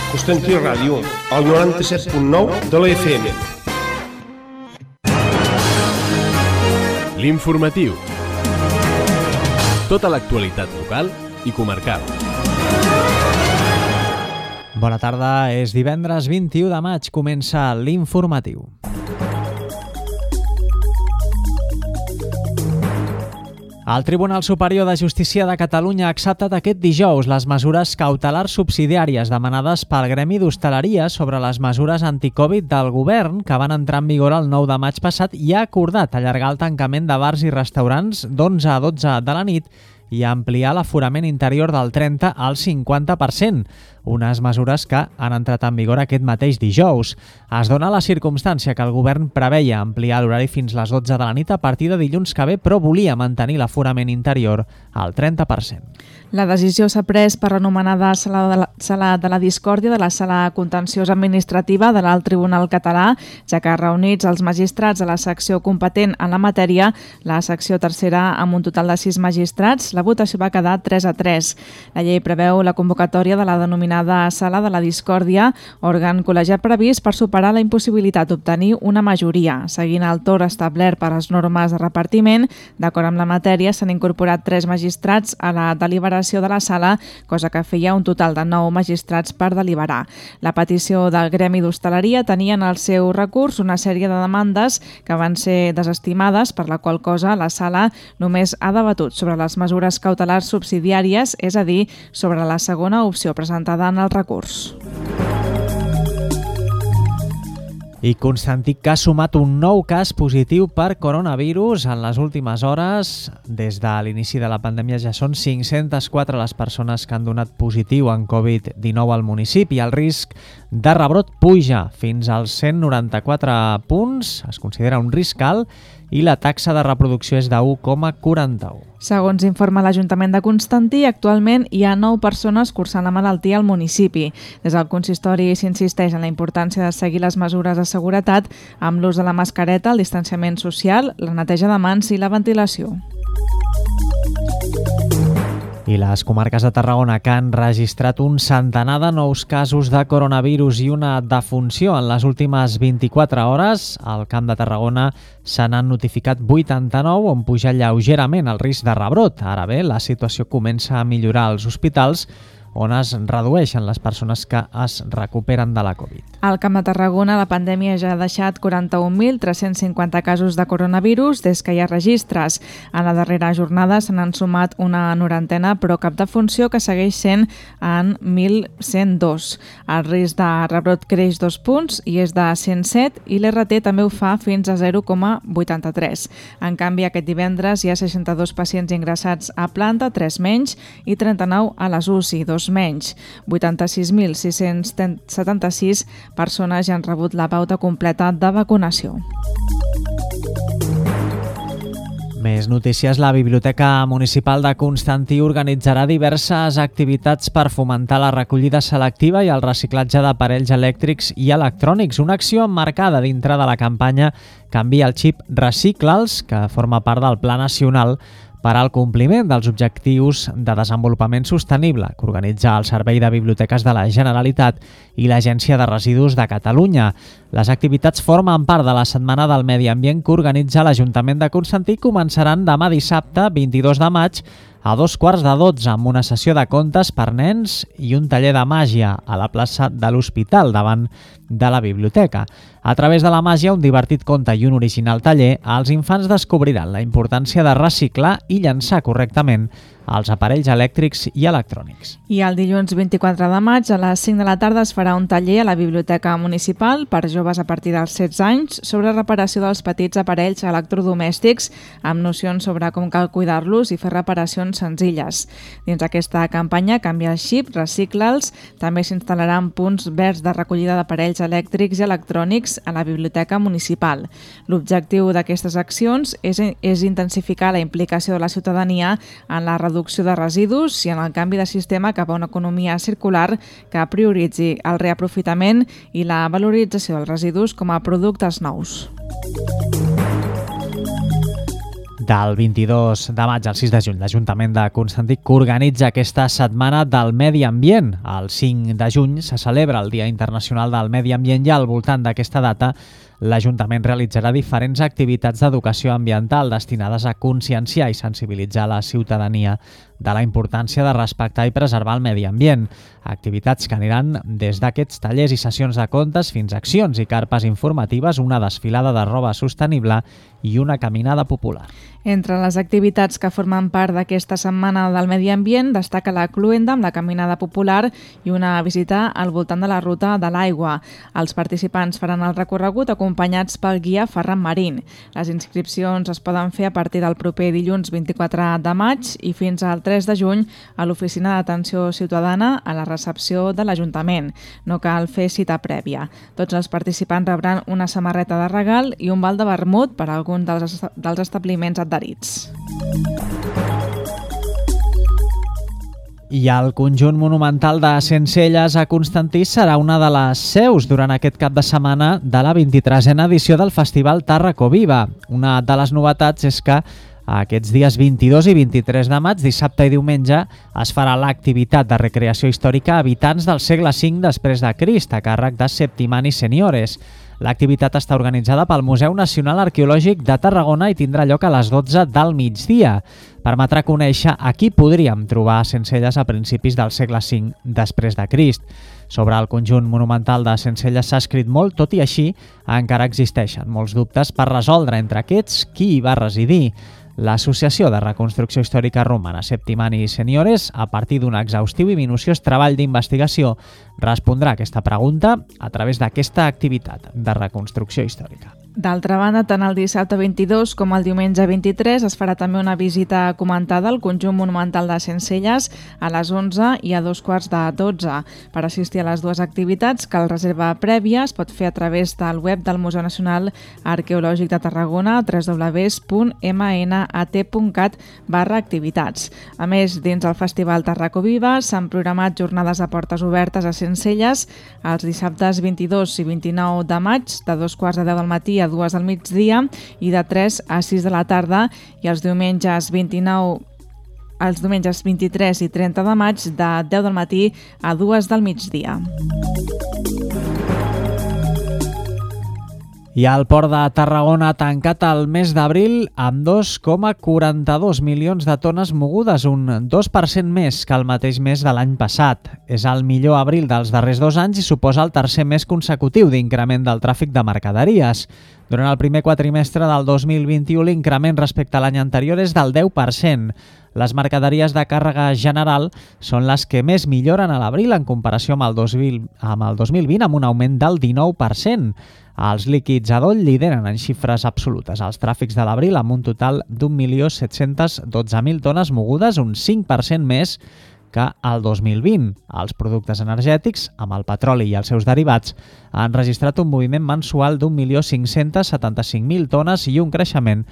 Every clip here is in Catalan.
Constantí Ràdio, al 97.9 de la FM. L'informatiu. Tota l'actualitat local i comarcal. Bona tarda, és divendres 21 de maig, comença l'informatiu. El Tribunal Superior de Justícia de Catalunya ha acceptat aquest dijous les mesures cautelars subsidiàries demanades pel Gremi d'Hostaleria sobre les mesures anticovid del govern que van entrar en vigor el 9 de maig passat i ha acordat allargar el tancament de bars i restaurants d'11 a 12 de la nit i ampliar l'aforament interior del 30 al 50%, unes mesures que han entrat en vigor aquest mateix dijous. Es dona la circumstància que el govern preveia ampliar l'horari fins les 12 de la nit a partir de dilluns que ve, però volia mantenir l'aforament interior al 30%. La decisió s'ha pres per l'anomenada Sala de la Discòrdia de la Sala Contenciosa Administrativa de l'Alt Tribunal Català, ja que reunits els magistrats de la secció competent en la matèria, la secció tercera amb un total de 6 magistrats, la votació va quedar 3-3. La llei preveu la convocatòria de la denominada Sala de la Discòrdia, òrgan col·legiat previst per superar la impossibilitat d'obtenir una majoria. Seguint el torn establert per les normes de repartiment, d'acord amb la matèria, s'han incorporat 3 magistrats a la deliberació de la sala, cosa que feia un total de 9 magistrats per deliberar. La petició del Gremi d'Hostaleria tenia en el seu recurs una sèrie de demandes que van ser desestimades, per la qual cosa la sala només ha debatut sobre les mesures cautelars subsidiàries, és a dir, sobre la segona opció presentada en el recurs. I Constantí que ha sumat un nou cas positiu per coronavirus en les últimes hores. Des de l'inici de la pandèmia ja són 504 les persones que han donat positiu en Covid-19 al municipi. El risc de rebrot puja fins als 194 punts, es considera un risc alt, i la taxa de reproducció és de 1,41. Segons informa l'Ajuntament de Constantí, actualment hi ha 9 persones cursant la malaltia al municipi. Des del consistori s'insisteix en la importància de seguir les mesures de seguretat amb l'ús de la mascareta, el distanciament social, la neteja de mans i la ventilació. I les comarques de Tarragona, que han registrat un centenar de nous casos de coronavirus i una defunció en les últimes 24 hores, al Camp de Tarragona se n'han notificat 89, on puja lleugerament el risc de rebrot. Ara bé, la situació comença a millorar als hospitals, on es redueixen les persones que es recuperen de la Covid. Al Camp de Tarragona, la pandèmia ja ha deixat 41.350 casos de coronavirus des que hi ha registres. En la darrera jornada se n'han sumat una norantena, però cap defunció, que segueix sent en 1.102. El risc de rebrot creix 2 punts i és de 107, i l'RT també ho fa fins a 0,83. En canvi, aquest divendres hi ha 62 pacients ingressats a planta, 3 menys, i 39 a les UCI, 2 menys. 86.676 persones ja han rebut la pauta completa de vacunació. Més notícies. La Biblioteca Municipal de Constantí organitzarà diverses activitats per fomentar la recollida selectiva i el reciclatge d'aparells elèctrics i electrònics. Una acció emmarcada dintre de la campanya Canvia el xip, recicla'ls, que forma part del Pla Nacional per al compliment dels objectius de desenvolupament sostenible que organitza el Servei de Biblioteques de la Generalitat i l'Agència de Residus de Catalunya. Les activitats formen part de la Setmana del Medi Ambient que organitza l'Ajuntament de Constantí i començaran demà dissabte, 22 de maig, a 11:45, amb una sessió de contes per nens i un taller de màgia a la plaça de l'Hospital, davant de la biblioteca. A través de la màgia, un divertit conte i un original taller, els infants descobriran la importància de reciclar i llançar correctament els aparells elèctrics i electrònics. I el dilluns 24 de maig a les 5 de la tarda es farà un taller a la Biblioteca Municipal per joves a partir dels 16 anys sobre reparació dels petits aparells electrodomèstics amb nocions sobre com cal cuidar-los i fer reparacions senzilles. Dins aquesta campanya Canvia el xip, recicla'ls, també s'instal·laran punts verds de recollida d'aparells elèctrics i electrònics a la Biblioteca Municipal. L'objectiu d'aquestes accions és intensificar la implicació de la ciutadania en la reducció de residus i en el canvi de sistema cap a una economia circular que prioritzi el reaprofitament i la valorització dels residus com a productes nous. Del 22 de maig al 6 de juny, l'Ajuntament de Constantí organitza aquesta Setmana del Medi Ambient. El 5 de juny se celebra el Dia Internacional del Medi Ambient i al voltant d'aquesta data l'Ajuntament realitzarà diferents activitats d'educació ambiental destinades a conscienciar i sensibilitzar la ciutadania de la importància de respectar i preservar el medi ambient. Activitats que aniran des d'aquests tallers i sessions de contes fins a accions i carpes informatives, una desfilada de roba sostenible i una caminada popular. Entre les activitats que formen part d'aquesta Setmana del Medi Ambient destaca la Cluenda amb la caminada popular i una visita al voltant de la Ruta de l'Aigua. Els participants faran el recorregut acompanyats pel guia Ferran Marín. Les inscripcions es poden fer a partir del proper dilluns 24 de maig i fins al 3 de juny a l'Oficina d'Atenció Ciutadana a la recepció de l'Ajuntament. No cal fer cita prèvia. Tots els participants rebran una samarreta de regal i un val de vermut per a algun dels establiments adherits. I el conjunt monumental de Sencelles a Constantí serà una de les seus durant aquest cap de setmana de la 23a edició del Festival Tàrraco Viva. Una de les novetats és que aquests dies 22 i 23 de maig, dissabte i diumenge, es farà l'activitat de recreació històrica a habitants del segle V després de Crist, a càrrec de Septimani Seniores. L'activitat està organitzada pel Museu Nacional Arqueològic de Tarragona i tindrà lloc a les 12 del migdia. Permetrà conèixer a qui podríem trobar a Sencelles a principis del segle V després de Crist. Sobre el conjunt monumental de Sencelles s'ha escrit molt, tot i així encara existeixen molts dubtes per resoldre entre aquests qui hi va residir. L'Associació de Reconstrucció Històrica Romana Septimani Seniores, a partir d'un exhaustiu i minuciós treball d'investigació, respondrà a aquesta pregunta a través d'aquesta activitat de reconstrucció històrica. D'altra banda, tant el dissabte 22 com el diumenge 23 es farà també una visita comentada al conjunt monumental de Sencelles a les 11 i a 2:15. Per assistir a les dues activitats cal reserva prèvia, es pot fer a través del web del Museu Nacional Arqueològic de Tarragona, www.mnat.cat/activitats. A més, dins el Festival Tàrraco Viva s'han programat jornades a portes obertes a Sencelles els dissabtes 22 i 29 de maig, de 2:15 del matí a 2 del migdia i de 3 a 6 de la tarda, i els diumenges 23 i 30 de maig de 10 del matí a 2 del migdia. I el Port de Tarragona ha tancat el mes d'abril amb 2,42 milions de tones mogudes, un 2% més que el mateix mes de l'any passat. És el millor abril dels darrers 2 anys i suposa el tercer mes consecutiu d'increment del tràfic de mercaderies. Durant el primer quatrimestre del 2021, l'increment respecte a l'any anterior és del 10%. Les mercaderies de càrrega general són les que més milloren a l'abril en comparació amb el 2020, amb un augment del 19%. Els líquids adoll lideren en xifres absolutes els tràfics de l'abril amb un total d'1.712.000 tones mogudes, un 5% més que el 2020. Els productes energètics, amb el petroli i els seus derivats, han registrat un moviment mensual d'1.575.000 tones i un creixement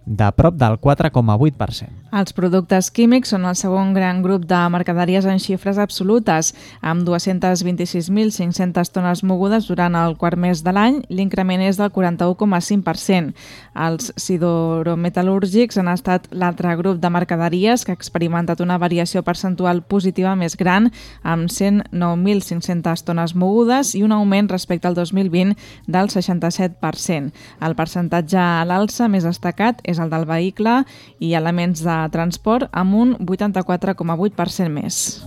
de prop del 4,8%. Els productes químics són el segon gran grup de mercaderies en xifres absolutes, amb 226.500 tones mogudes durant el quart mes de l'any. L'increment és del 41,5%. Els sidorometal·lúrgics han estat l'altre grup de mercaderies que ha experimentat una variació percentual positiva més gran, amb 109.500 tones mogudes i un augment respecte al 2020 del 67%. El percentatge a l'alça més destacat és el del vehicle i elements de transport, amb un 84,8% més.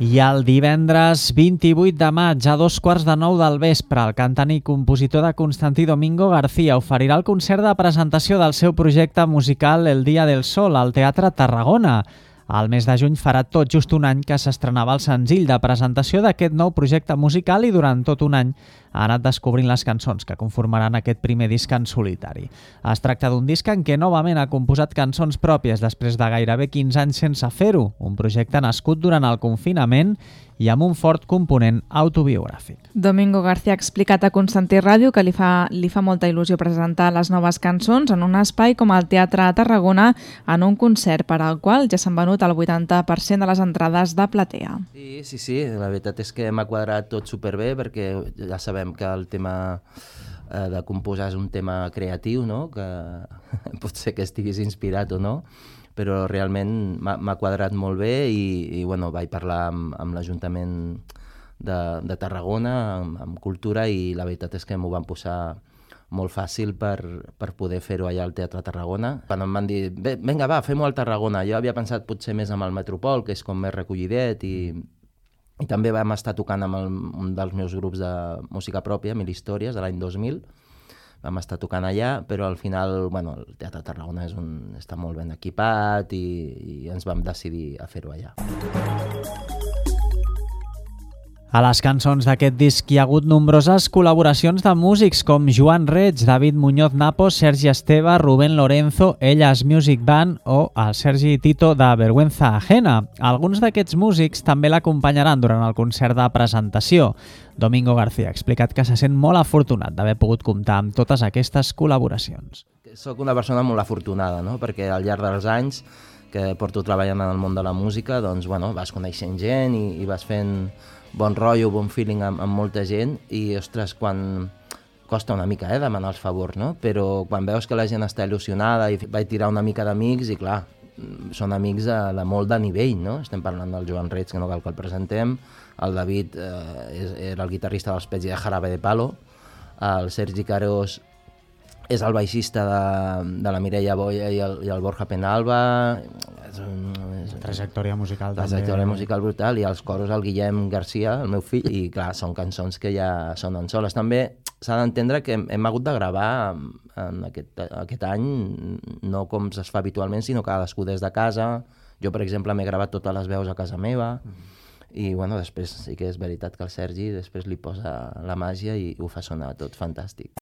I el divendres 28 de maig, a 8:45 del vespre, el cantant i compositor de Constantí, Domingo García, oferirà el concert de presentació del seu projecte musical El Día del Sol al Teatre Tarragona. Al mes de juny farà tot just un any que s'estrenava el senzill de presentació d'aquest nou projecte musical i durant tot un any ha anat descobrint les cançons que conformaran aquest primer disc en solitari. Es tracta d'un disc en què novament ha composat cançons pròpies després de gairebé 15 anys sense fer-ho, un projecte nascut durant el confinament i amb un fort component autobiogràfic. Domingo García ha explicat a Constantí Ràdio que li fa molta il·lusió presentar les noves cançons en un espai com el Teatre a Tarragona en un concert per al qual ja s'han venut el 80% de les entrades de platea. Sí, la veritat és que m'ha quadrat tot superbé perquè ja sabem que el tema de composar un tema creatiu, no? Que pot ser que estiguis inspirat o no, però realment m'ha quadrat molt bé i bueno, vaig parlar amb l'Ajuntament de Tarragona, amb Cultura, i la veritat és que m'ho van posar molt fàcil per poder fer-ho allà al Teatre Tarragona. Quan em van dir, vinga, va, fem-ho al Tarragona, jo havia pensat potser més amb el Metropol, que és com més recollidet, i també vam estar tocant amb un dels meus grups de música pròpia, Mil Històries, de l'any 2000. Vam estar tocant allà, però al final, bueno, el Teatre Tarragona està molt ben equipat i ens vam decidir a fer-ho allà. A les cançons d'aquest disc hi ha hagut nombroses col·laboracions de músics com Joan Reig, David Muñoz Napo, Sergi Esteve, Rubén Lorenzo, Ellas Music Band o el Sergi Tito de Vergüenza Ajena. Alguns d'aquests músics també l'acompanyaran durant el concert de presentació. Domingo García ha explicat que se sent molt afortunat d'haver pogut comptar amb totes aquestes col·laboracions. Soc una persona molt afortunada, no? Perquè al llarg dels anys que porto treballant en el món de la música, doncs, bueno, vas coneixent gent i vas fent bon rotllo, bon feeling amb molta gent i, ostres, quan costa una mica demanar els favors, no? Però quan veus que la gent està il·lusionada i vaig tirar una mica d'amics i, clar, són amics de molt de nivell, no? Estem parlant del Joan Reig, que no cal que el presentem, el David era el guitarrista dels Pets i de Jarabe de Palo, el Sergi Carós és el baixista de la Mireia Boya i el Borja Penalba. Trajectòria musical també. Trajectòria musical brutal, i als coros el Guillem Garcia, el meu fill, i clar, són cançons que ja sonen soles. També s'ha d'entendre que hem hagut de gravar en aquest any, no com es fa habitualment, sinó cadascú des de casa. Jo, per exemple, m'he gravat totes les veus a casa meva, i bueno, després sí que és veritat que el Sergi després li posa la màgia i ho fa sonar tot fantàstic.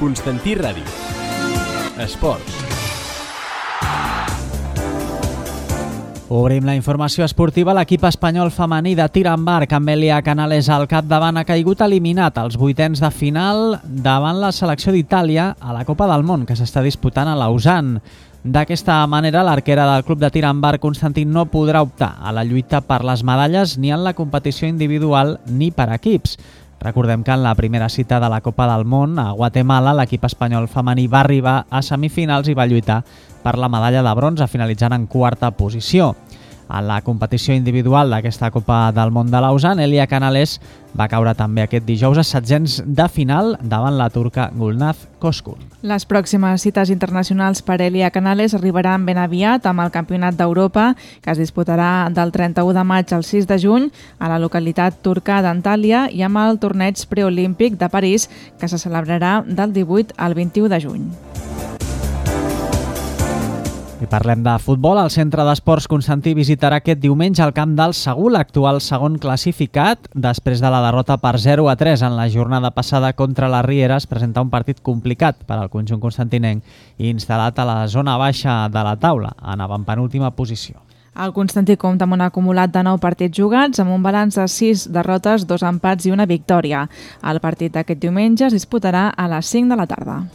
Constantí Ràdio. Esports. Obrim la informació esportiva. L'equip espanyol femení de tir amb arc, amb Elia Canales al capdavant, ha caigut eliminat als vuitens de final davant la selecció d'Itàlia a la Copa del Món, que s'està disputant a Lausanne. D'aquesta manera, l'arquera del club de tir amb arc, Constantí, no podrà optar a la lluita per les medalles ni en la competició individual ni per equips. Recordem que en la primera cita de la Copa del Món a Guatemala, l'equip espanyol femení va arribar a semifinals i va lluitar per la medalla de bronze, finalitzant en quarta posició. En la competició individual d'aquesta Copa del Món de Lausanne, Elia Canales va caure també aquest dijous a setzents de final davant la turca Gulnaz Koskun. Les pròximes cites internacionals per Elia Canales arribaran ben aviat amb el Campionat d'Europa, que es disputarà del 31 de maig al 6 de juny a la localitat turca d'Antàlia, i amb el torneig preolímpic de París, que se celebrarà del 18 al 21 de juny. I parlem de futbol. El Centre d'Esports Constantí visitarà aquest diumenge el camp del Segur, l'actual segon classificat. Després de la derrota per 0-3 en la jornada passada contra la Riera, es presenta un partit complicat per al conjunt constantinenc i instal·lat a la zona baixa de la taula, en avantpenúltima posició. El Constantí compta amb un acumulat de 9 partits jugats, amb un balanç de 6 derrotes, 2 empats i una victòria. El partit d'aquest diumenge es disputarà a les 5 de la tarda.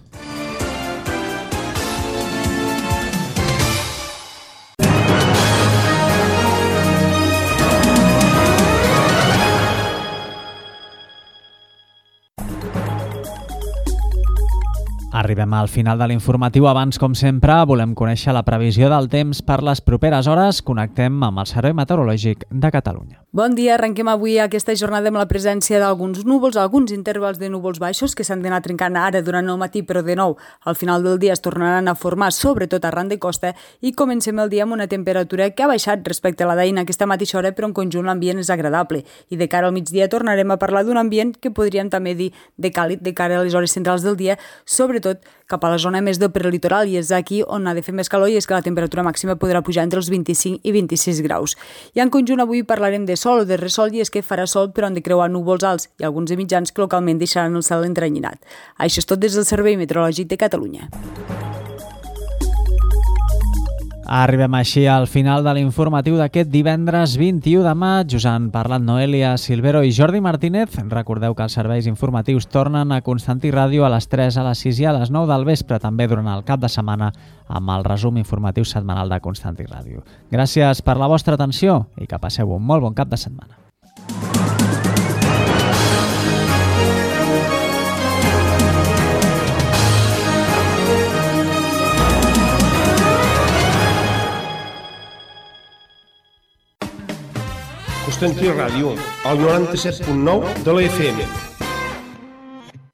Arribem al final de l'informatiu. Abans, com sempre, volem conèixer la previsió del temps per les properes hores. Connectem amb el Servei Meteorològic de Catalunya. Bon dia, arrenquem avui aquesta jornada amb la presència d'alguns núvols, alguns intervals de núvols baixos que s'han d'anar trencant ara durant el matí, però de nou al final del dia es tornaran a formar, sobretot arran de costa, i comencem el dia amb una temperatura que ha baixat respecte a la d'ahir en aquesta mateixa hora, però en conjunt l'ambient és agradable. I de cara al migdia tornarem a parlar d'un ambient que podríem també dir de càlid de cara a les hores centrals del dia, sobretot cap a la zona més del prelitoral, i és aquí on ha de fer més calor, i és que la temperatura màxima podrà pujar entre els 25 i 26 graus. I en conjunt avui parlarem de sol o de ressol, i és que farà sol però han de creuar núvols alts i alguns de mitjans que localment deixaran el cel entrenyinat. Això és tot des del Servei Meteorològic de Catalunya. Arribem així al final de l'informatiu d'aquest divendres 21 de maig. Us han parlat Noelia Silvero i Jordi Martínez. Recordeu que els serveis informatius tornen a Constantí Ràdio a les 3, a les 6 i a les 9 del vespre, també durant el cap de setmana amb el resum informatiu setmanal de Constantí Ràdio. Gràcies per la vostra atenció i que passeu un molt bon cap de setmana. Constantí Ràdio, el 97.9 de la FM.